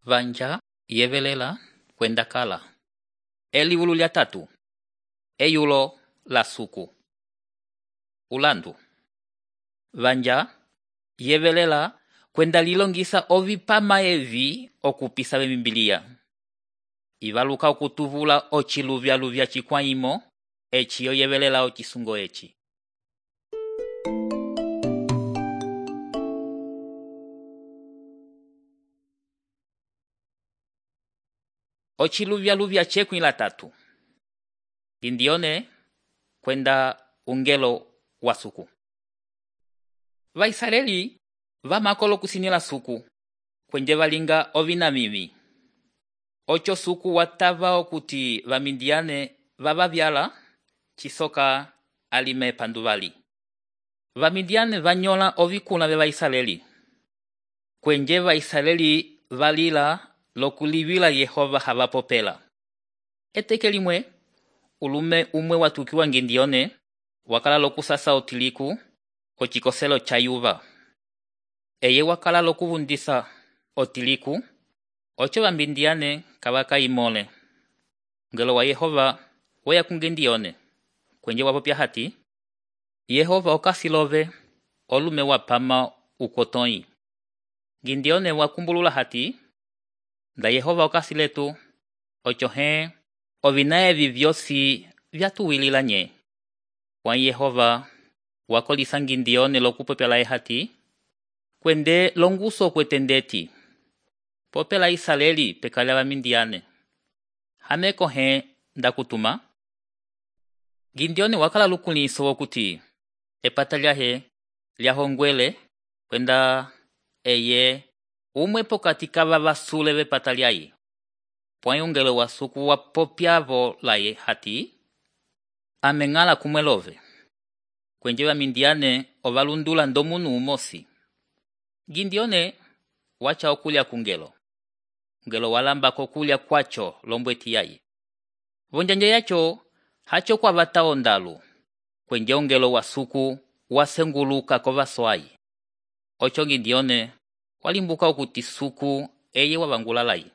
Vanja yevelela kwenda kala. Elivulu lya 3. Eyulo la suku. Ulandu. Vanja yevelela kwenda lilongisa ovipama evi okupisa bemimbilia. Ivaluka okutuvula ochiluvya chikwaimo eci yevelela ochisungo eci. Ochiluvya chekwi la 3. Indione kwenda ungelo wa suku. Vaisraeli vamakolo kusinila suku kwenje valinga ovinamimi. Ocho suku watava okuti vamindiane vavavyala chisoka alime panduvali. Vamindiane vanyola ovikuna ve Vaisraeli. Kwenje Vaisraeli valila lokulivila Yehova havapopela. Eteke limwe, ulume umwe watukiwa Ngindione wakala lokusasa otiliku kochikoselo cha yuva. Eye wakala lokuvundisa otiliku, ocho vamindiane kavaka imole. Ngelo wa Yehova weya kungendione. Kwenje wapopya hati, Yehova okasilove olume wapama ukotoi. Ngindione wakumbulula hati, nda Yehova okasiletu, ocho ovinae vivyosi vyatuwilila nye. Wa Yehova wakolisa Ngindione lokupopela hati, kwende longuso kwetendeti. Popela Israeli pekala vamindiane. Hameko ndakutuma. Ngindione wakala lukuliso wokuti epata lya hongwele kwenda eye umwe pokati kava vasule vepata lyayi. Pwai ungelo wa suku wapopyavo laye hati, amengala kumwelove. Kwenje vamindiane ovalundula ndomunu umosi. Ngindione wacha okulya kungelo. Ngelo walamba kokulya kwacho lombweti yayi. Vonjanja yacho hacho kwa vata ondalu. Kwenje ungelo wa suku wasenguluka kovaswai. Ocho Ngindione walimbuka okuti suku eye wavangula layi.